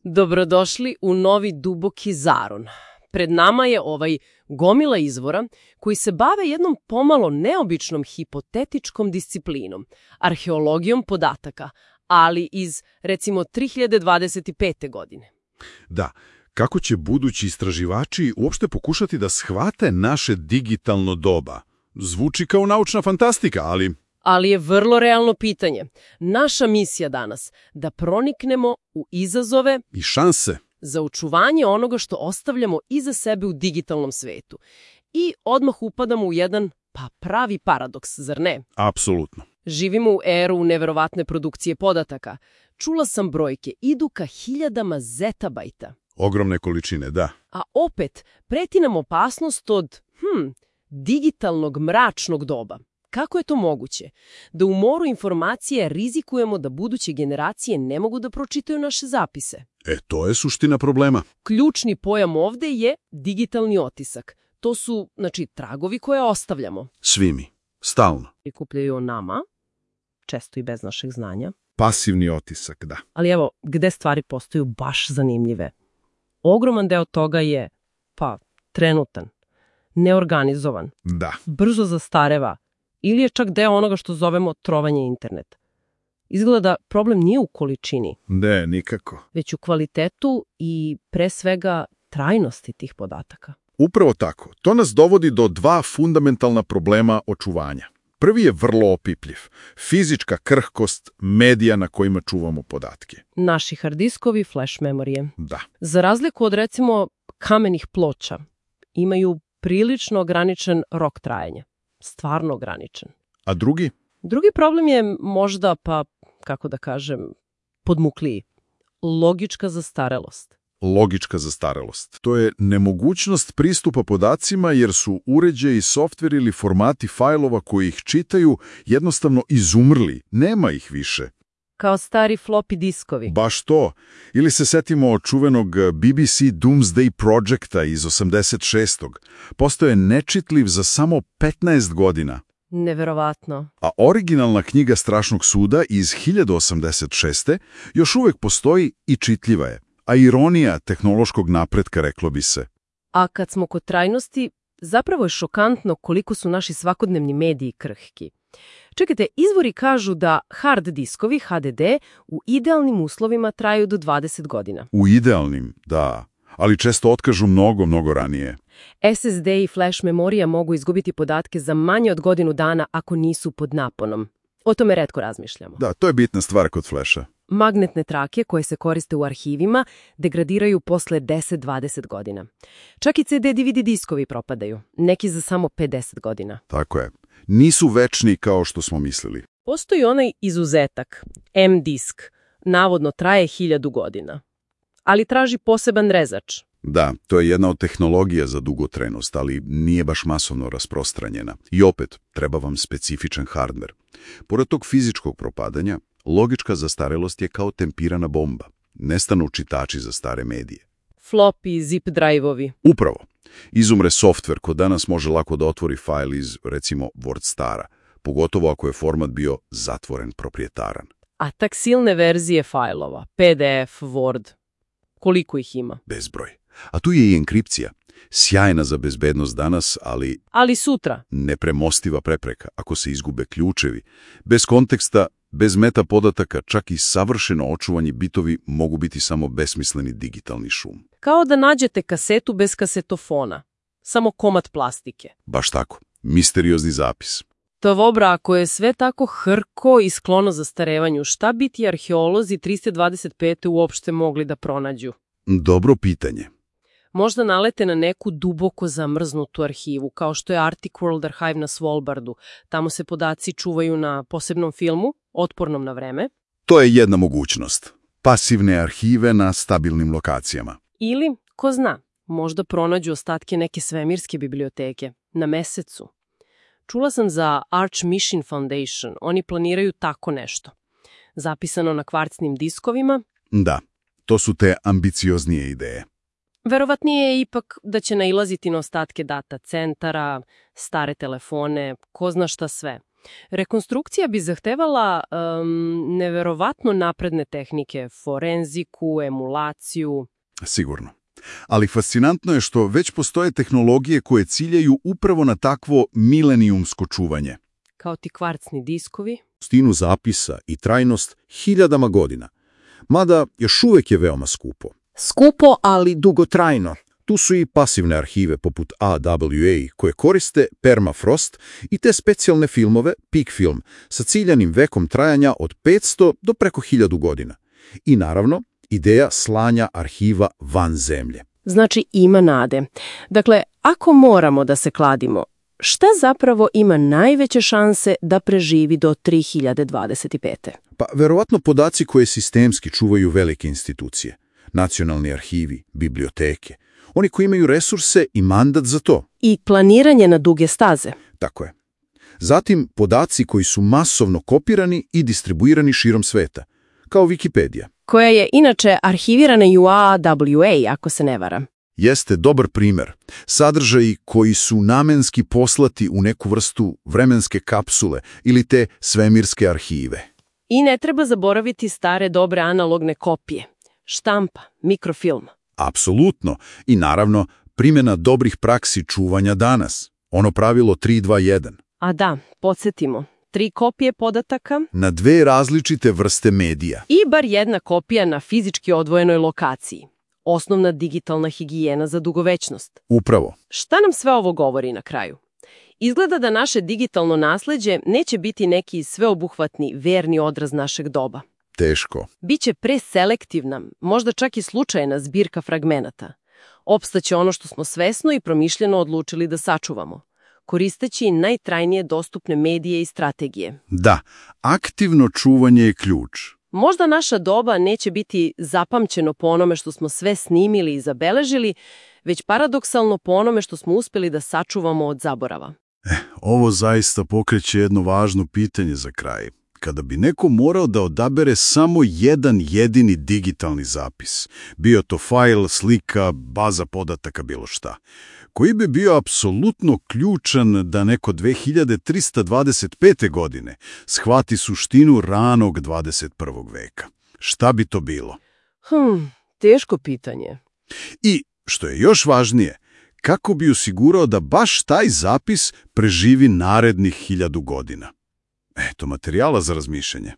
Dobrodošli u novi duboki zaron. Pred nama je gomila izvora koji se bave jednom pomalo neobičnom hipotetičkom disciplinom, arheologijom podataka, ali iz, recimo, 3025. godine. Da, kako će budući istraživači uopšte pokušati da shvate naše digitalno doba? Zvuči kao naučna fantastika, Ali je vrlo realno pitanje. Naša misija danas da proniknemo u izazove i šanse za očuvanje onoga što ostavljamo iza sebe u digitalnom svetu. I odmah upadamo u jedan pravi paradoks, zar ne? Apsolutno. Živimo u eru neverovatne produkcije podataka. Čula sam brojke, idu ka hiljadama zetabajta. Ogromne količine, da. A opet, preti nam opasnost od, digitalnog mračnog doba. Kako je to moguće? Da u moru informacije rizikujemo da buduće generacije ne mogu da pročitaju naše zapise. To je suština problema. Ključni pojam ovde je digitalni otisak. To su, tragovi koje ostavljamo. Svi mi. Stalno. Prikupljaju o nama, često i bez našeg znanja. Pasivni otisak, da. Ali evo, gde stvari postaju baš zanimljive. Ogroman deo toga je, trenutan, neorganizovan, Da. brzo zastareva, ili je čak deo onoga što zovemo trovanje interneta. Izgleda problem nije u količini. Ne, nikako. Već u kvalitetu i pre svega trajnosti tih podataka. Upravo tako. To nas dovodi do dva fundamentalna problema očuvanja. Prvi je vrlo opipljiv. Fizička krhkost medija na kojima čuvamo podatke. Naši harddiskovi, flash memorije. Da. Za razliku od, recimo, kamenih ploča, imaju prilično ograničen rok trajanja. Stvarno ograničen. A drugi? Drugi problem je možda, podmukliji. Logička zastarelost. Logička zastarelost. To je nemogućnost pristupa podacima jer su uređaji, softver ili formati fajlova koji ih čitaju jednostavno izumrli. Nema ih više. Kao stari floppy diskovi. Baš to. Ili se setimo čuvenog BBC Doomsday Projecta iz 86. Postao je nečitljiv za samo 15 godina. Neverovatno. A originalna knjiga Strašnog suda iz 1086. još uvek postoji i čitljiva je. A ironija tehnološkog napretka, reklo bi se. A kad smo kod trajnosti, zapravo je šokantno koliko su naši svakodnevni mediji krhki. Čekajte, izvori kažu da hard diskovi, HDD, u idealnim uslovima traju do 20 godina. U idealnim, da, ali često otkažu mnogo ranije. SSD i flash memorija mogu izgubiti podatke za manje od godinu dana ako nisu pod naponom. O tome retko razmišljamo. Da, to je bitna stvar kod flasha. Magnetne trake koje se koriste u arhivima degradiraju posle 10-20 godina. Čak i CD-DVD diskovi propadaju, neki za samo 50 godina. Tako je. Nisu večni kao što smo mislili. Postoji onaj izuzetak, M-disk, navodno traje 1000 godina, ali traži poseban rezač. Da, to je jedna od tehnologija za dugotrajnost, ali nije baš masovno rasprostranjena. I opet, treba vam specifičan hardver. Pored tog fizičkog propadanja, logička zastarelost je kao tempirana bomba. Nestanu čitači za stare medije. Floppy, zip drive-ovi. Upravo. Izumre softver ko danas može lako da otvori fajl iz, recimo, WordStara, pogotovo ako je format bio zatvoren, proprijetaran. A taksilne verzije fajlova, PDF, Word, koliko ih ima? Bezbroj. A tu je i enkripcija. Sjajna za bezbednost danas, ali sutra. Nepremostiva prepreka ako se izgube ključevi. Bez konteksta, bez meta podataka, čak i savršeno očuvani bitovi mogu biti samo besmisleni digitalni šum. Kao da nađete kasetu bez kasetofona. Samo komad plastike. Baš tako. Misteriozni zapis. Tovobra, ako je sve tako hrko i sklono zastarevanju, šta bi ti arheolozi 325. uopšte mogli da pronađu? Dobro pitanje. Možda nalete na neku duboko zamrznutu arhivu, kao što je Arctic World Archive na Svalbardu. Tamo se podaci čuvaju na posebnom filmu, otpornom na vreme. To je jedna mogućnost. Pasivne arhive na stabilnim lokacijama. Ili, ko zna, možda pronađu ostatke neke svemirske biblioteke na Mesecu. Čula sam za Arch Mission Foundation. Oni planiraju tako nešto. Zapisano na kvarcnim diskovima. Da, to su te ambicioznije ideje. Verovatnije je ipak da će nailaziti na ostatke data centara, stare telefone, ko zna šta sve. Rekonstrukcija bi zahtevala neverovatno napredne tehnike, forenziku, emulaciju. Sigurno. Ali fascinantno je što već postoje tehnologije koje ciljaju upravo na takvo milenijumsko čuvanje. Kao ti kvarcni diskovi. Stinu zapisa i trajnost hiljadama godina. Mada još uvijek je veoma skupo. Skupo, ali dugotrajno. Tu su i pasivne arhive poput AWA koje koriste permafrost i te specijalne filmove, peak film, sa ciljanim vekom trajanja od 500 do preko 1000 godina. I naravno, ideja slanja arhiva van zemlje. Znači ima nade. Dakle, ako moramo da se kladimo, šta zapravo ima najveće šanse da preživi do 3025. Pa verovatno podaci koje sistemski čuvaju velike institucije. Nacionalni arhivi, biblioteke. Oni koji imaju resurse i mandat za to. I planiranje na duge staze. Tako je. Zatim podaci koji su masovno kopirani i distribuirani širom sveta. Kao Wikipedia. Koja je inače arhivirana i u AWA, ako se ne varam. Jeste dobar primjer. Sadržaji koji su namenski poslati u neku vrstu vremenske kapsule ili te svemirske arhive. I ne treba zaboraviti stare dobre analogne kopije. Štampa, mikrofilm. Apsolutno. I naravno, primjena dobrih praksi čuvanja danas. Ono pravilo 3-2-1. A da, podsjetimo. 3 kopije podataka. Na 2 različite vrste medija. I bar jedna kopija na fizički odvojenoj lokaciji. Osnovna digitalna higijena za dugovečnost. Upravo. Šta nam sve ovo govori na kraju? Izgleda da naše digitalno nasleđe neće biti neki sveobuhvatni, verni odraz našeg doba. Teško. Biće preselektivna, možda čak i slučajna zbirka fragmenata. Opstaće ono što smo svesno i promišljeno odlučili da sačuvamo, koristeći najtrajnije dostupne medije i strategije. Da, aktivno čuvanje je ključ. Možda naša doba neće biti zapamćeno po onome što smo sve snimili i zabeležili, već paradoksalno po onome što smo uspjeli da sačuvamo od zaborava. Ovo zaista pokreće jedno važno pitanje za kraj. Kada bi neko morao da odabere samo jedan jedini digitalni zapis, bio to fajl, slika, baza podataka, bilo šta, koji bi bio apsolutno ključan da neko 2325. godine shvati suštinu ranog 21. veka. Šta bi to bilo? Teško pitanje. I, što je još važnije, kako bi osigurao da baš taj zapis preživi narednih 1000 godina? Eto, materijala za razmišljanje.